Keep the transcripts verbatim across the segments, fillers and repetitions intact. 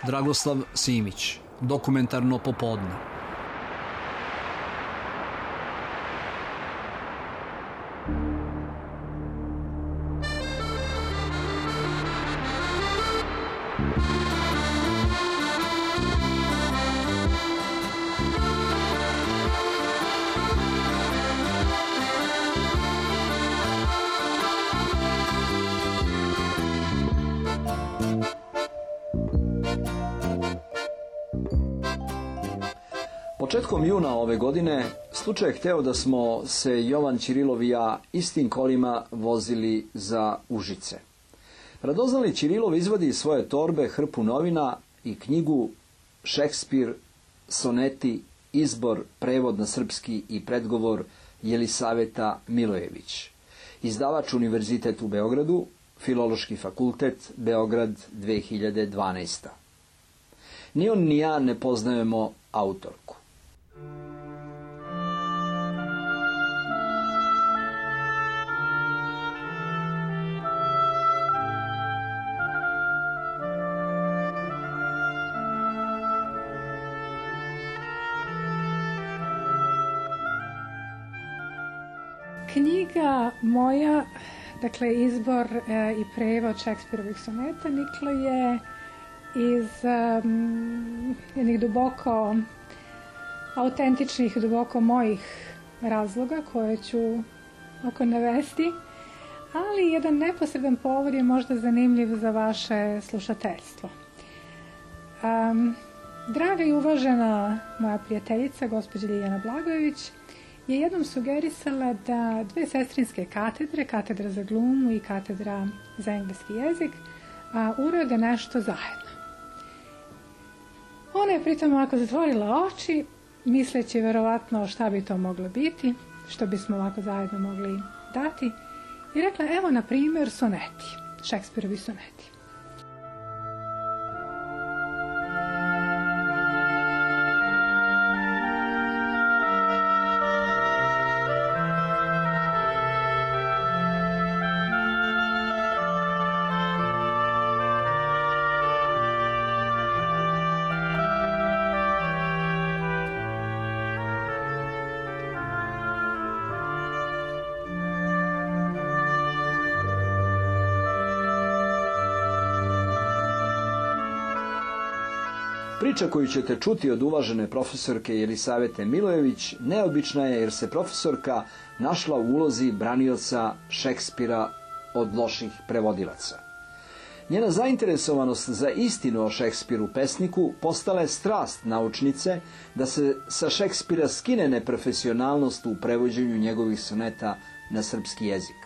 Dragoslav Simić, Dokumentarno popodne. Početkom juna ove godine slučaj je hteo da smo se Jovan Ćirilov i ja istim kolima vozili za Užice. Radoznali Ćirilov izvadi iz svoje torbe hrpu novina i knjigu Šekspir, soneti, izbor, prevod na srpski i predgovor Jelisaveta Milojević. Izdavač Univerzitet u Beogradu, Filološki fakultet, Beograd dve hiljade dvanaesta. Ni on ni ja ne poznajemo autorku. Knjiga moja, dakle izbor e, i prevod Šekspirovih soneta, niklo je iz um, jednih duboko autentičnih, duboko mojih razloga koje ću oko navesti, ali jedan neposredan povod je možda zanimljiv za vaše slušateljstvo. Um, draga i uvažena moja prijateljica, gospođa Ljiljana Blagojević, je jednom sugerisala da dve sestrinske katedre, katedra za glumu i katedra za engleski jezik, a, urade nešto zajedno. Ona je pritom ovako zatvorila oči, misleći verovatno šta bi to moglo biti, što bismo ovako zajedno mogli dati, i rekla, evo na primjer soneti, Šekspirovi soneti. Priča koju ćete čuti od uvažene profesorke Jelisavete Milojević neobična je jer se profesorka našla u ulozi branioca Šekspira od loših prevodilaca. Njena zainteresovanost za istinu o Šekspiru pesniku postala je strast naučnice da se sa Šekspira skine neprofesionalnost u prevođenju njegovih soneta na srpski jezik.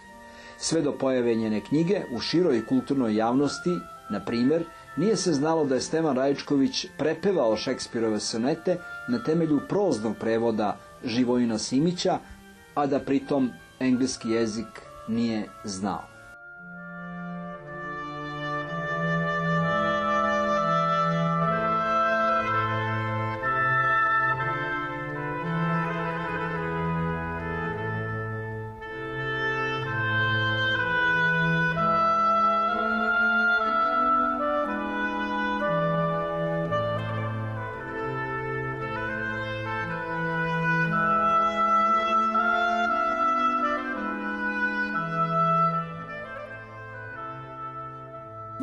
Sve do pojave njene knjige u široj kulturnoj javnosti, na primjer, nije se znalo da je Stevan Rajičković prepevao Šekspirove sonete na temelju proznog prevoda Živojina Simića, a da pritom engleski jezik nije znao.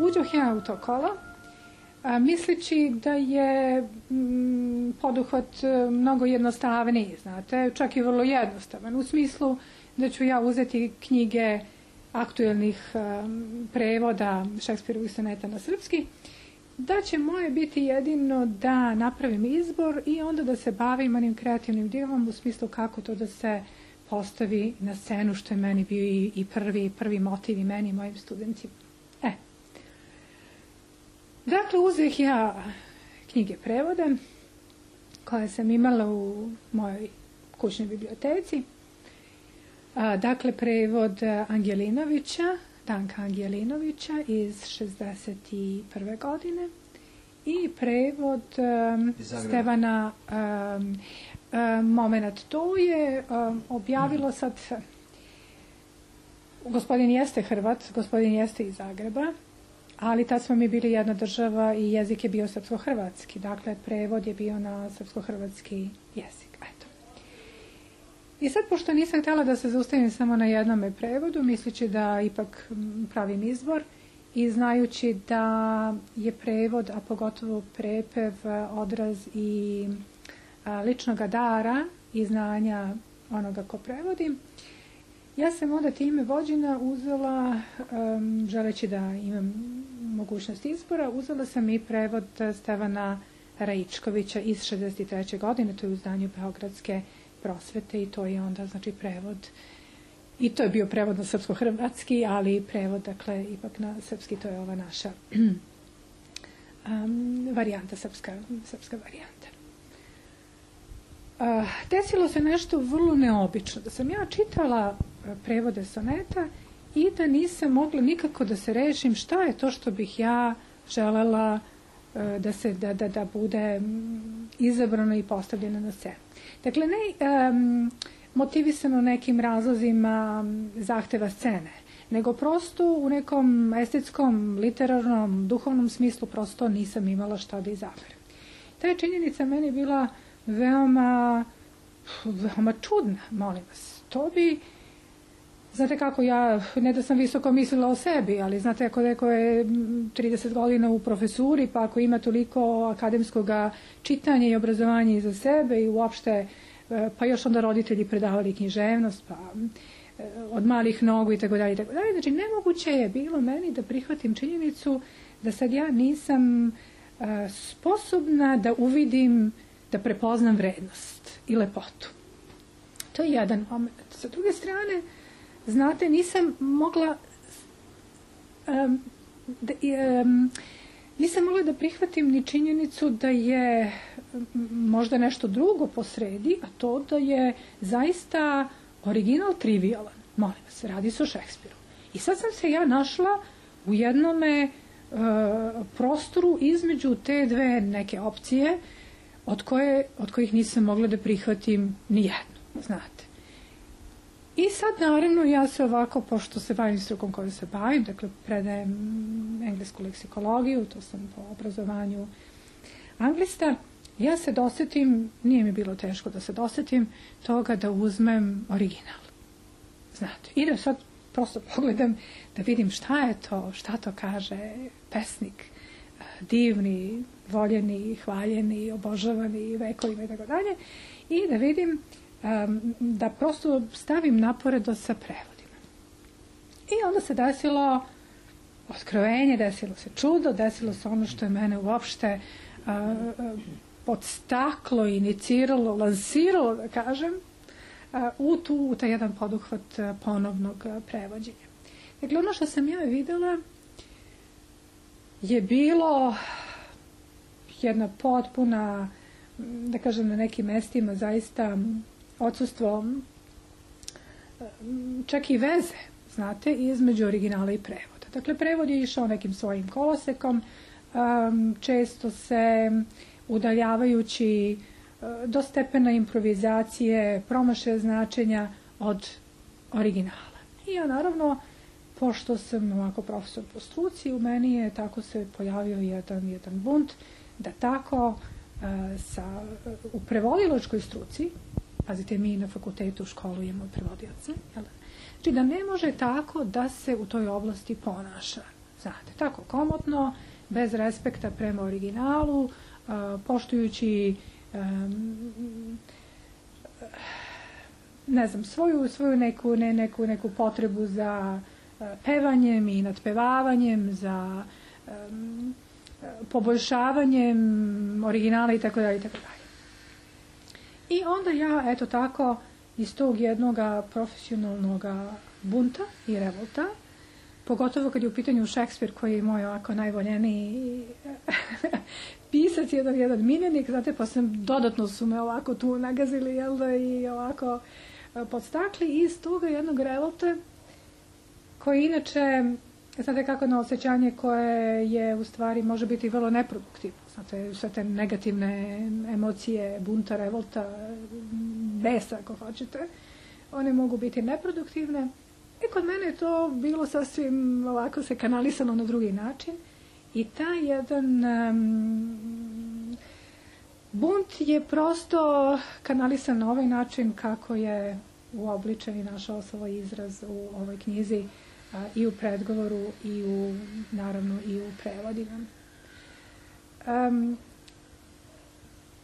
Uđoh ja u to kolo, a, misleći da je m, poduhvat mnogo jednostavniji, znate, čak i vrlo jednostavan, u smislu da ću ja uzeti knjige aktuelnih um, prevoda Šekspirovih soneta na srpski, da će moje biti jedino da napravim izbor i onda da se bavim onim kreativnim dijelom u smislu kako to da se postavi na scenu, što je meni bio i, i prvi, prvi motiv i meni i mojim studentima. E. Dakle, uzeh ja knjige prevode koje sam imala u mojoj kućnoj biblioteci. A, dakle, prevod Angelinovića, Danka Angelinovića iz šezdeset prve godine i prevod um, Stevana um, um, Moment. To je um, objavilo sad, gospodin jeste Hrvat, gospodin jeste iz Zagreba, ali tad smo mi bili jedna država i jezik je bio srpsko-hrvatski. Dakle, prevod je bio na srpsko-hrvatski jezik. Eto. I sad, pošto nisam htjela da se zaustavim samo na jednome prevodu, misleći da ipak pravim izbor i znajući da je prevod, a pogotovo prepev, odraz i ličnoga dara i znanja onoga ko prevodi, ja sam onda time vođena uzela, um, želeći da imam mogućnost izbora, uzela sam i prevod Stevana Raičkovića iz šezdeset treće godine, to je u izdanju Beogradske prosvete i to je onda, znači, prevod, i to je bio prevod na srpsko-hrvatski, ali prevod, dakle, ipak na srpski, to je ova naša um, varijanta, srpska, srpska varijanta. Uh, desilo se nešto vrlo neobično, da sam ja čitala prevode soneta i da nisam mogla nikako da se rešim šta je to što bih ja želela uh, da se da, da, da bude izabrano i postavljeno na scenu. Dakle, ne um, motivisano nekim razlozima zahteva scene, nego prosto u nekom estetskom, literarnom, duhovnom smislu prosto nisam imala šta da izaberem. Ta je činjenica meni bila veoma, veoma čudna, molim vas. To bi, znate kako, ja, ne da sam visoko mislila o sebi, ali znate, ako neko je trideset godina u profesuri, pa ako ima toliko akademskog čitanja i obrazovanja iza sebe i uopšte, pa još onda roditelji predavali književnost, pa od malih nogu i tako dalje, i tako dalje. Znači, nemoguće je bilo meni da prihvatim činjenicu da sad ja nisam a, sposobna da uvidim, da prepoznam vrednost i lepotu. To je jedan moment. Sa druge strane, znate, nisam mogla um, da, um, nisam mogla da prihvatim ni činjenicu da je možda nešto drugo posredi, a to da je zaista original trivialan. Molim vas, radi se o Šekspiru. I sad sam se ja našla u jednome uh, prostoru između te dve neke opcije od, koje, od kojih nisam mogla da prihvatim ni jednu, znate. I sad, naravno, ja se ovako, pošto se bavim strukom kojom se bavim, dakle, predajem englesku leksikologiju, to sam po obrazovanju anglista, ja se dosetim, nije mi bilo teško da se dosetim toga da uzmem original. Znate, i da sad prosto pogledam da vidim šta je to, šta to kaže pesnik, divni, voljeni, hvaljeni, obožavani vekovima i tako dalje, i da vidim um, da prosto stavim naporedo sa prevodima. I onda se desilo otkrovenje, desilo se čudo, desilo se ono što je mene uopšte uh, uh, podstaklo, iniciralo, lansiralo, da kažem, uh, u, tu, u taj jedan poduhvat uh, ponovnog uh, prevođenja. Dakle, ono što sam ja videla je bilo jedna potpuna, da kažem, na nekim mestima zaista odsustvo čak i veze, znate, između originala i prevoda. Dakle, prevod je išao nekim svojim kolosekom, um, često se udaljavajući uh, do stepena improvizacije, promašaja značenja od originala. I ja, naravno, pošto sam ovako profesor po struci, u meni je tako se pojavio jedan, jedan bunt da tako uh, sa, uh, u prevodilačkoj struci, pazite, mi na fakultetu školujemo prevodioce, jel? Znači da ne može tako da se u toj oblasti ponaša, znate, tako komotno, bez respekta prema originalu, uh, poštujući um, ne znam, svoju, svoju neku, ne, neku, neku potrebu za pevanjem i nadpevavanjem, za um, poboljšavanjem originala i tako dalje i tako dalje. I onda ja, eto tako, iz tog jednog profesionalnog bunta i revolta, pogotovo kad je u pitanju Šekspir, koji je moj ovako najvoljeniji pisac, jedan, jedan miljenik, znate, pa sam, dodatno su me ovako tu nagazili, jel da, i ovako podstakli, i iz toga jednog revolta, koji inače, znate kako, na osjećanje koje je u stvari može biti vrlo neproduktivno. Znate, sve te negativne emocije, bunta, revolta, besa, ako hoćete, one mogu biti neproduktivne. I kod mene je to bilo sasvim ovako se kanalisano na drugi način. I taj jedan um, bunt je prosto kanalisan na ovaj način kako je uobličen i našao svoj izraz u ovoj knjizi, a, i u predgovoru i u, naravno, i u prevodima. Um,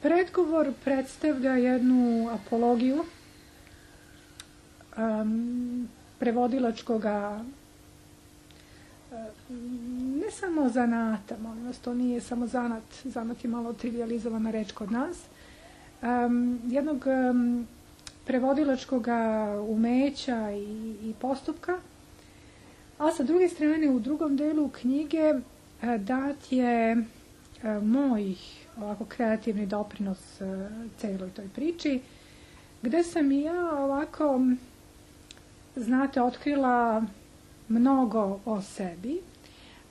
predgovor predstavlja jednu apologiju um, prevodilačkoga, ne samo zanata, molim vas, to nije samo zanat, zanat je malo trivializovana reč kod nas, um, jednog um, prevodilačkog umeća i, i postupka, a sa druge strane u drugom delu knjige uh, dat je uh, moj ovako kreativni doprinos uh, celoj toj priči, gde sam i ja ovako, znate, otkrila mnogo o sebi.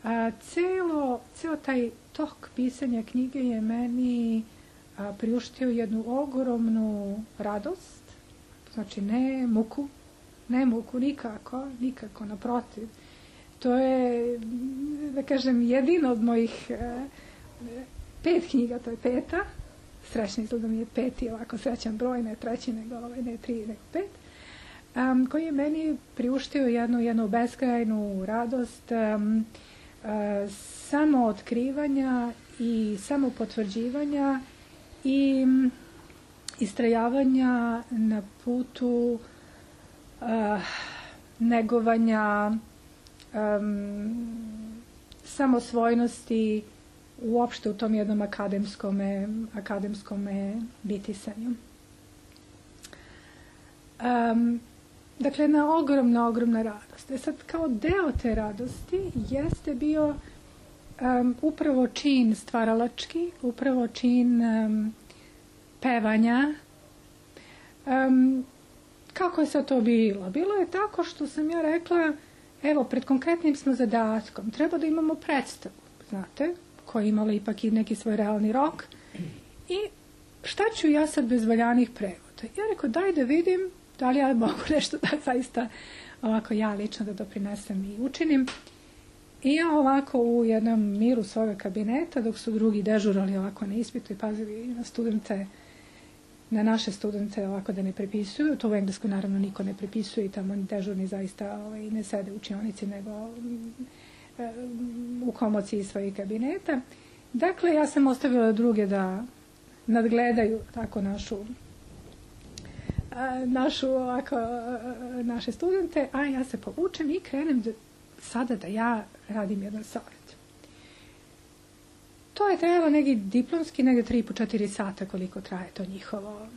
A, celo, ceo taj tok pisanja knjige je meni a, priuštio jednu ogromnu radost, znači ne muku, ne muku nikako, nikako, naprotiv. To je, da kažem, jedino od mojih a, pet knjiga, to je peta, srećno izgleda mi je peti, ovako srećan broj, ne treći, nego ovaj, ne tri, nego pet, Um, koji je meni priuštio jednu, jednu beskrajnu radost um, uh, samo otkrivanja i samo potvrđivanja i um, istrajavanja na putu uh, negovanja um, samosvojnosti uopšte u tom jednom akademskome, akademskome bitisanju. Um, Dakle, jedna ogromna, ogromna radost. E sad, kao deo te radosti jeste bio um, upravo čin stvaralački, upravo čin um, pevanja. Um, kako je sad to bilo? Bilo je tako što sam ja rekla, evo, pred konkretnim smo zadatkom, treba da imamo predstavu, znate, koja je imala ipak i neki svoj realni rok. I šta ću ja sad bez valjanih prevoda? Ja rekao, daj da vidim da li ja mogu nešto da zaista ovako ja lično da doprinesem i učinim. I ja ovako u jednom miru svoga kabineta, dok su drugi dežurali ovako na ispitu i pazili na studente, na naše studente ovako da ne prepisuju, to u Engleskoj naravno niko ne prepisuje i tamo dežurni zaista ovaj, ne sede u učionici nego um, u komociji svojih kabineta. Dakle, ja sam ostavila druge da nadgledaju tako našu našu ovako, naše studente, a ja se povučem i krenem da, sada da ja radim jedan savjet. To je trajalo neki diplomski, negdje tri po četiri sata koliko traje to njihovo,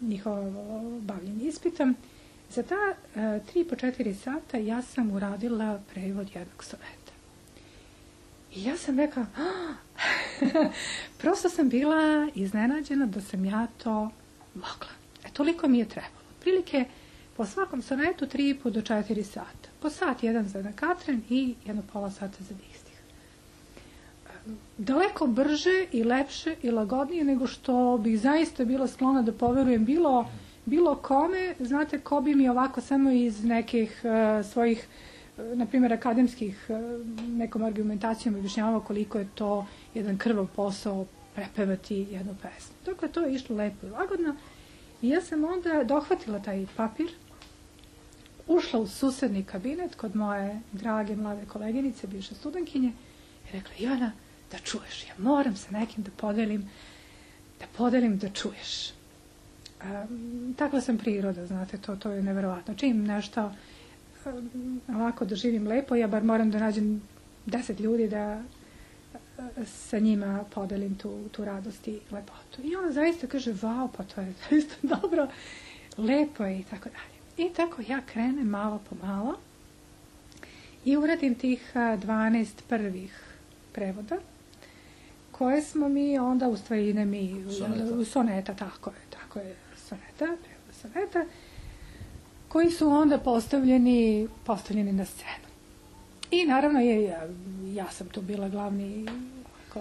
njihovo bavljenje ispitom. Za ta tri po četiri sata ja sam uradila prevod jednog soneta. I ja sam rekla, prosto sam bila iznenađena da sam ja to mogla. E, toliko mi je trebalo. Prilike po svakom sonetu tri do četiri sata. Po sat jedan za jedan katren i jedno pola sata za distih. Daleko brže i lepše i lagodnije nego što bih zaista bila sklona da poverujem bilo, bilo kome. Znate, ko bi mi ovako samo iz nekih uh, svojih, uh, na primjer, akademskih uh, nekom argumentacijom objašnjavao koliko je to jedan krvav posao prepevati jednu pesmu. Dakle, to je išlo lepo i lagodno. I ja sam onda dohvatila taj papir, ušla u susedni kabinet kod moje drage mlade koleginice, bivše studentkinje, i rekla, Ivana, da čuješ, ja moram sa nekim da podelim, da podelim da čuješ. Um, takva sam priroda, znate, to, to je neverovatno. Čim nešto um, ovako doživim lepo, ja bar moram da nađem deset ljudi da sa njima podelim tu, tu radost i lepotu. I ona zaista kaže, vau, pa to je zaista dobro, lepo je i tako dalje. I tako ja krenem malo po malo i uradim tih dvanaest prvih prevoda, koje smo mi onda, u stvari ne mi, soneta, u soneta tako je, tako je, soneta, prevod soneta, koji su onda postavljeni, postavljeni na scenu. I naravno je, ja, ja sam tu bila glavni ako,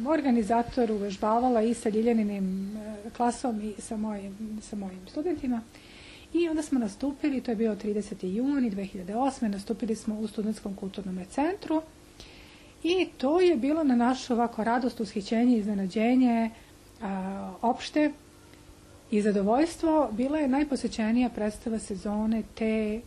organizator, uvežbavala i sa Ljiljaninim klasom i sa mojim, sa mojim studentima. I onda smo nastupili, to je bio trideseti juni dve hiljade osme. Nastupili smo u Studentskom kulturnom centru I to je bilo na našu ovako radost, ushićenje, iznenađenje, a, opšte i zadovoljstvo. Bila je najposećenija predstava sezone te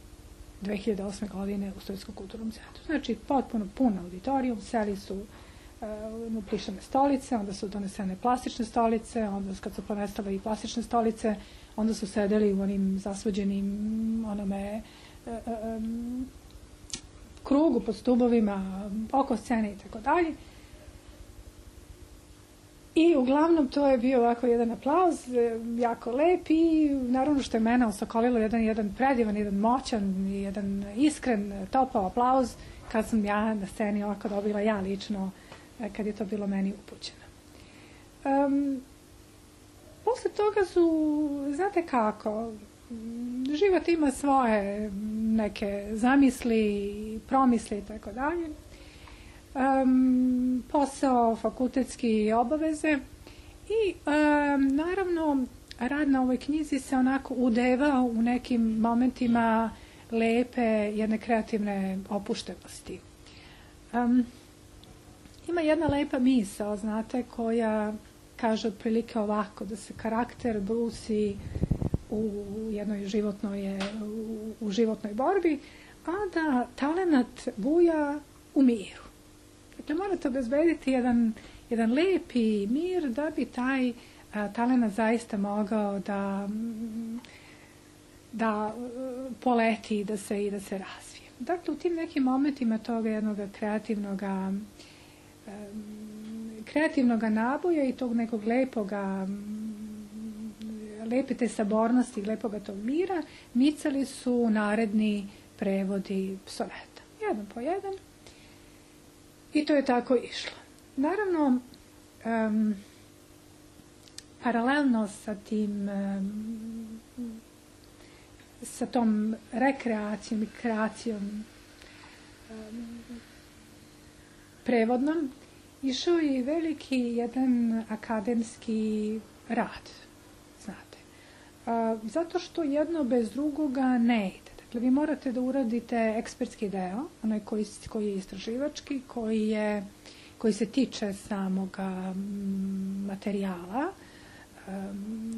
dve hiljade osme. godine u Stojskom kulturnom centru. Znači, potpuno pun auditorijum, seli su uh, plišane stolice, onda su donesene plastične stolice, onda kad su ponestale i plastične stolice, onda su sedeli u onim zasvođenim onome uh, um, krugu pod stubovima, oko scene i tako dalje. I uglavnom to je bio ovako jedan aplauz, jako lep i naravno što je mene osokolilo jedan, jedan predivan, jedan moćan, jedan iskren, topao aplauz kad sam ja na sceni ovako dobila ja lično, kad je to bilo meni upućeno. Um, posle toga su, znate kako, život ima svoje neke zamisli, promisli i tako dalje. Um, posao, fakultetski obaveze i um, naravno rad na ovoj knjizi se onako udeva u nekim momentima lepe, jedne kreativne opuštenosti. Um, ima jedna lepa misao, znate, koja kaže otprilike ovako, da se karakter brusi u jednoj životnoj, u, u životnoj borbi, a da talenat buja u miru. Dakle, morate obezbediti jedan, jedan lepi mir da bi taj a, talenat zaista mogao da, da poleti da se, i da se razvije. Dakle, u tim nekim momentima toga jednog kreativnog kreativnog naboja i tog nekog lepoga, lepe te sabornosti, lepoga tog mira, micali su naredni prevodi soneta. Jedan po jedan. I to je tako išlo. Naravno, um, paralelno sa tim, um, sa tom rekreacijom i kreacijom um, prevodnom, išao je veliki jedan akademski rad, znate. Uh, zato što jedno bez drugoga ne ide. Dakle, vi morate da uradite ekspertski deo, onaj koji, koji je istraživački, koji, je, koji se tiče samog materijala,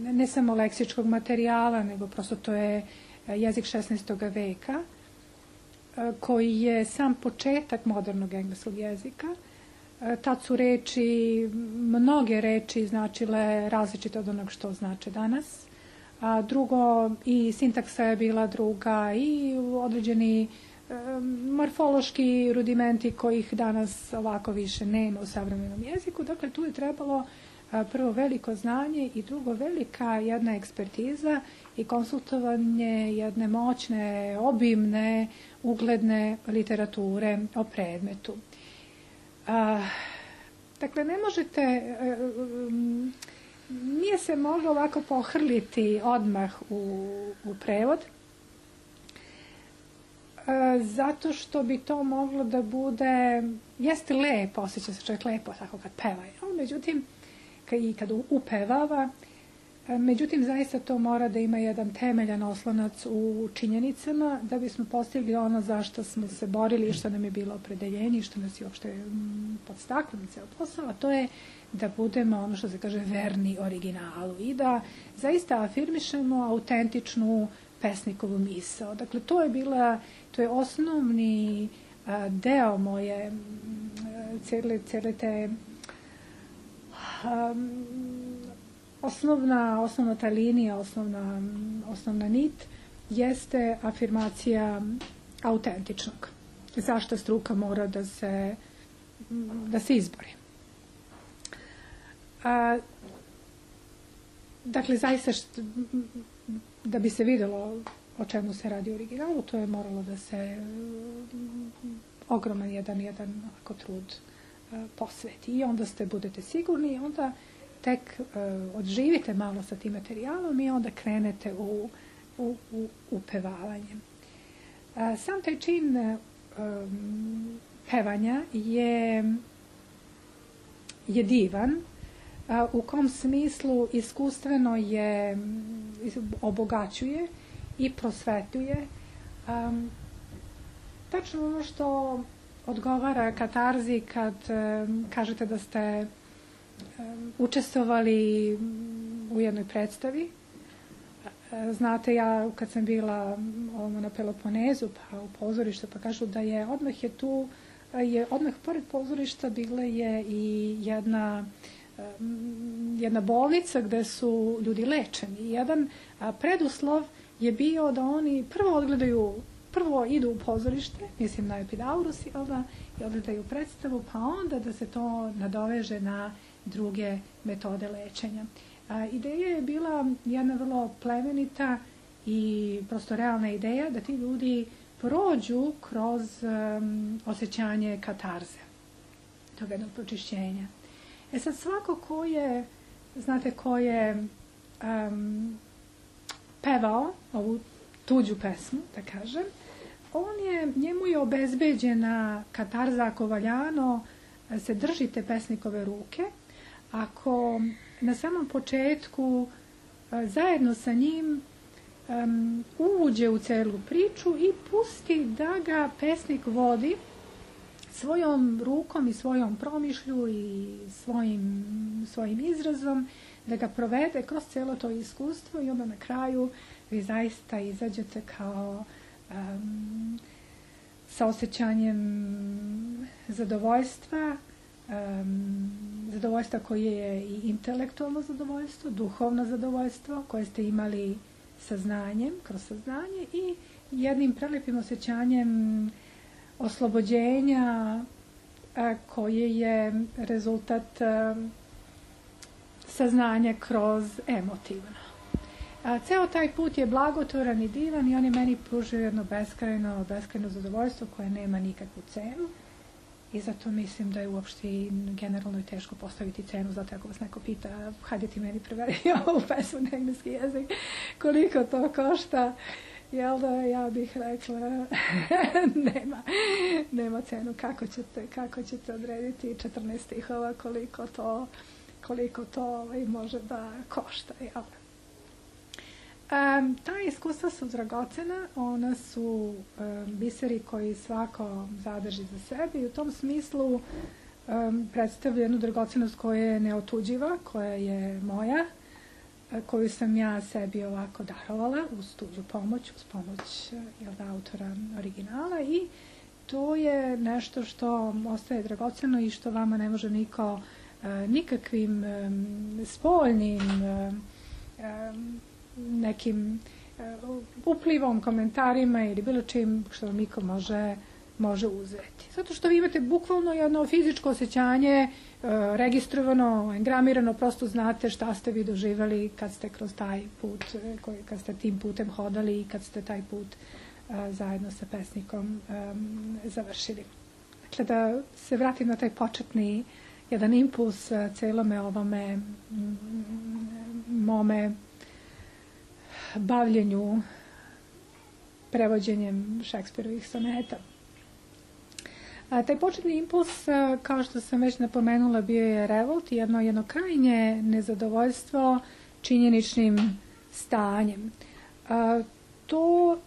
ne samo leksičkog materijala, nego prosto to je jezik šesnaestog veka, koji je sam početak modernog engleskog jezika. Tad su reči, mnoge reči značile različite od onog što znače danas. A drugo, i sintaksa je bila druga i određeni e, morfološki rudimenti kojih danas ovako više nema u savremenom jeziku. Dakle, tu je trebalo a, prvo veliko znanje i drugo velika jedna ekspertiza i konsultovanje jedne moćne, obimne, ugledne literature o predmetu. A, dakle, ne možete... E, um, Nije se moglo ovako pohrliti odmah u, u prevod, e, zato što bi to moglo da bude, jeste lepo, osjeća se čovjek lepo tako kad peva, ali međutim, i kad upevava, e, međutim, zaista to mora da ima jedan temeljan oslonac u činjenicama, da bismo postigli ono zašto smo se borili i što nam je bilo opredeljenje i što nas je uopšte podstaklo na ceo posao, a to je da budemo, ono što se kaže, verni originalu i da zaista afirmišemo autentičnu pesnikovu misao. Dakle, to je bila, to je osnovni a, deo moje cele, cele te a, osnovna, osnovna ta linija, osnovna, osnovna nit jeste afirmacija autentičnog. Zašto struka mora da se, da se izbori. A, dakle, zaista što, da bi se videlo o čemu se radi u originalu, to je moralo da se ogroman jedan, jedan ako trud a, posveti. I onda ste budete sigurni i onda tek a, odživite malo sa tim materijalom i onda krenete u, u, u upevavanje. A, sam taj čin a, pevanja je, je divan, u kom smislu iskustveno je, obogaćuje i prosvetuje. Um, tačno ono što odgovara katarzi kad kažete da ste učestvovali u jednoj predstavi. Znate, ja kad sam bila na Peloponezu pa u pozorištu, pa kažu da je odmah je tu, je odmah pored pozorišta bila je i jedna jedna bolnica gde su ljudi lečeni. Jedan preduslov je bio da oni prvo odgledaju, prvo idu u pozorište, mislim na Epidaurus, i odgledaju predstavu, pa onda da se to nadoveže na druge metode lečenja. A, ideja je bila jedna vrlo plemenita i prosto realna ideja da ti ljudi prođu kroz um, osjećanje katarze, tog jednog pročišćenja. E sad, svako ko je, znate, ko je um, pevao ovu tuđu pesmu, da kažem, on je, njemu je obezbeđena katarza ako valjano se držite pesnikove ruke, ako na samom početku zajedno sa njim um, uđe u celu priču i pusti da ga pesnik vodi svojom rukom i svojom promišlju i svojim, svojim izrazom, da ga provede kroz celo to iskustvo i onda na kraju vi zaista izađete kao um, sa osjećanjem zadovoljstva, um, zadovoljstva koje je i intelektualno zadovoljstvo, duhovno zadovoljstvo koje ste imali saznanjem, kroz saznanje i jednim prelepim osjećanjem oslobođenja a, koje je rezultat a, saznanja kroz emotivno. A, ceo taj put je blagotvoran i divan i on je meni pružio jedno beskrajno, beskrajno zadovoljstvo koje nema nikakvu cenu i zato mislim da je uopšte generalno i teško postaviti cenu, zato ako vas neko pita, hajde ti meni prevedi ovu pesmu na engleski jezik, koliko to košta, jel da, ja bih rekla nema, nema cenu, kako ćete, kako ćete odrediti četrnaest stihova, koliko to, koliko to može da košta, jel da. Um, ta iskustva su dragocena, ona su um, biseri koji svako zadrži za sebe i u tom smislu um, predstavlja jednu dragocenost koja je neotuđiva, koja je moja, koju sam ja sebi ovako darovala uz tuđu pomoć, uz pomoć jel da, autora originala i to je nešto što ostaje dragoceno i što vama ne može niko uh, nikakvim um, spoljnim um, um, nekim uh, uplivom, komentarima ili bilo čim što vam niko može, može uzeti. Zato što vi imate bukvalno jedno fizičko osjećanje uh, registrovano, engramirano, prosto znate šta ste vi doživali kad ste kroz taj put, koji, kad ste tim putem hodali i kad ste taj put uh, zajedno sa pesnikom um, završili. Dakle, da se vratim na taj početni jedan impuls uh, celome ovome mm, mome bavljenju prevođenjem Šekspirovih soneta. A, taj početni impuls, a, kao što sam već napomenula, bio je revolt, jedno, jedno krajnje nezadovoljstvo činjeničnim stanjem. A, to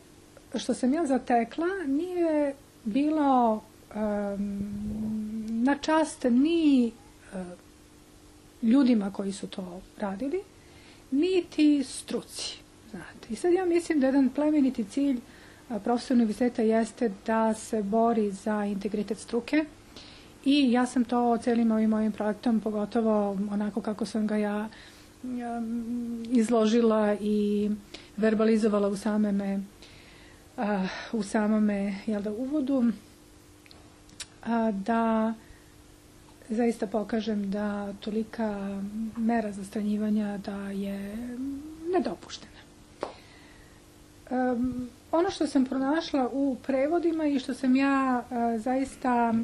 što sam ja zatekla nije bilo um, na čast ni uh, ljudima koji su to radili, niti struci. Znate. I sad ja mislim da jedan plemeniti cilj profesora univerziteta jeste da se bori za integritet struke i ja sam to celim ovim mojim projektom, pogotovo onako kako sam ga ja um, izložila i verbalizovala u samome uh, u samome jel da, uvodu, uh, da zaista pokažem da tolika mera zastranjivanja da je nedopuštena. Um, ono što sam pronašla u prevodima i što sam ja uh, zaista,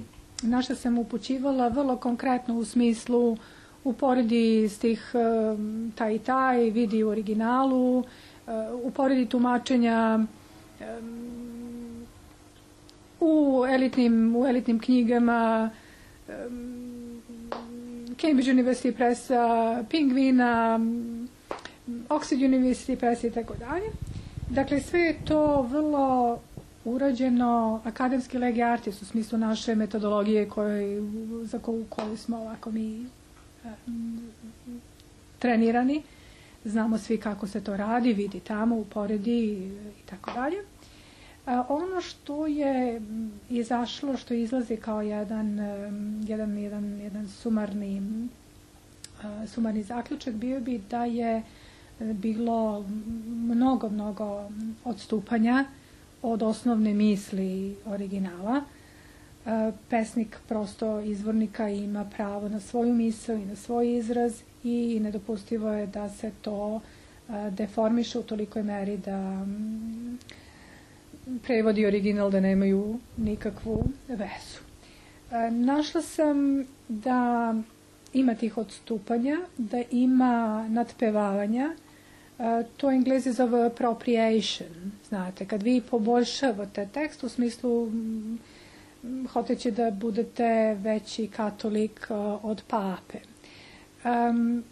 na što sam upućivala vrlo konkretno u smislu uporedi stih um, taj i taj, vidi u originalu, uh, uporedi tumačenja um, u, elitnim, u elitnim knjigama um, Cambridge University Pressa, Pingvina, um, Oxford University Pressa i tako dalje. Dakle, sve je to vrlo urađeno akademski lege artis u smislu naše metodologije koje, za koju, koju smo ovako mi trenirani. Znamo svi kako se to radi, vidi tamo, uporedi i tako dalje. Ono što je izašlo, što izlazi kao jedan, jedan, jedan, jedan sumarni, sumarni zaključak bio bi da je bilo mnogo, mnogo odstupanja od osnovne misli originala. Pesnik prosto izvornika ima pravo na svoju misl i na svoj izraz i nedopustivo je da se to deformiše u tolikoj meri da prevodi original da nemaju nikakvu vezu. Našla sam da ima tih odstupanja, da ima nadpevavanja. To Englezi zove appropriation. Znate, kad vi poboljšavate tekst u smislu hoteći da budete veći katolik od pape. Um,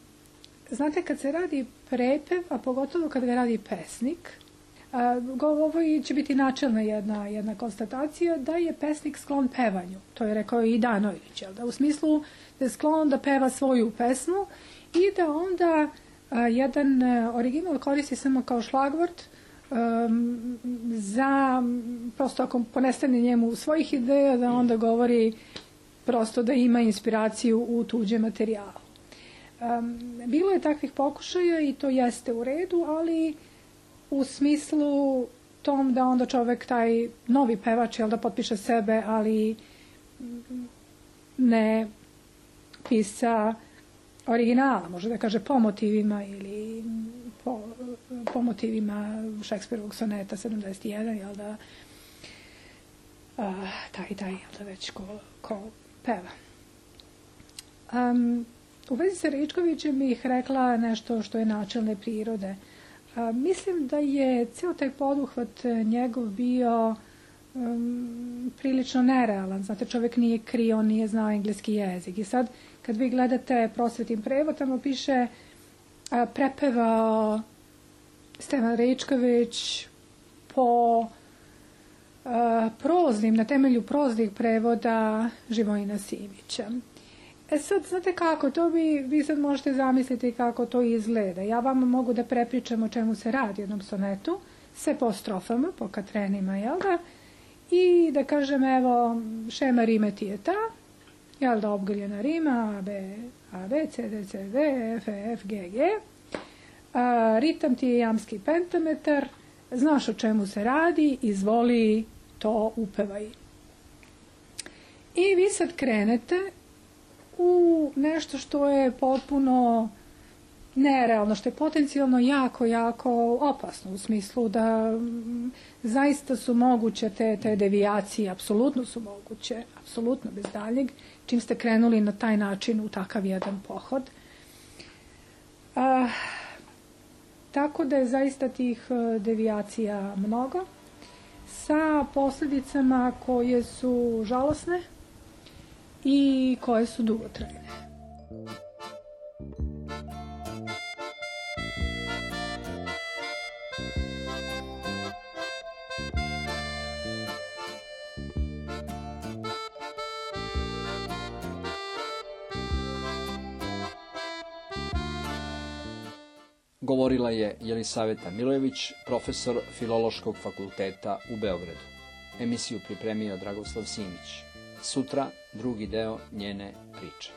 znate, kad se radi prepev, a pogotovo kad ga radi pesnik, uh, ovo će biti načelna jedna, jedna konstatacija da je pesnik sklon pevanju. To je rekao i Danović, da u smislu da je sklon da peva svoju pesmu i da onda uh, jedan uh, original koristi samo kao šlagvort um, za, prosto ako ponestane njemu svojih ideja, da onda govori prosto da ima inspiraciju u tuđem materijalu. Um, bilo je takvih pokušaja i to jeste u redu, ali u smislu tom da onda čovek taj novi pevač, jel da potpiše sebe, ali ne pisa originala, može da kaže po motivima ili po, po motivima Šekspirovog soneta sedamdeset jedan, jel da uh, taj, taj, jel da već ko, ko peva. Um, U vezi sa Ričkovićem bih rekla nešto što je načelne prirode. A, mislim da je ceo taj poduhvat njegov bio um, prilično nerealan. Znate, čovjek nije krio, nije znao engleski jezik. I sad, kad vi gledate Prosvetin prevod, tamo piše a, prepevao Stevan Ričković po a, proznim, na temelju proznih prevoda Živojina Simića. E sad, znate kako, to vi, vi sad možete zamisliti kako to izgleda. Ja vam mogu da prepričam o čemu se radi u jednom sonetu, sve po strofama, po katrenima, jel da? I da kažem, evo, šema rime ti je ta, jel da, obgrljena rima, A, B, A, B, C, D, C, D, F, F, G, G. A, ritam ti je jamski pentametar, znaš o čemu se radi, izvoli, to upevaj. I vi sad krenete u nešto što je potpuno nerealno, što je potencijalno jako, jako opasno u smislu da m, zaista su moguće te, te devijacije, apsolutno su moguće, apsolutno bez daljeg, čim ste krenuli na taj način u takav jedan pohod. A, tako da je zaista tih devijacija mnogo, sa posljedicama koje su žalosne i koje su dugotrajne. Govorila je Jelisaveta Milojević, profesor Filološkog fakulteta u Beogradu. Emisiju pripremio Dragoslav Simić. Sutra drugi deo njene priče.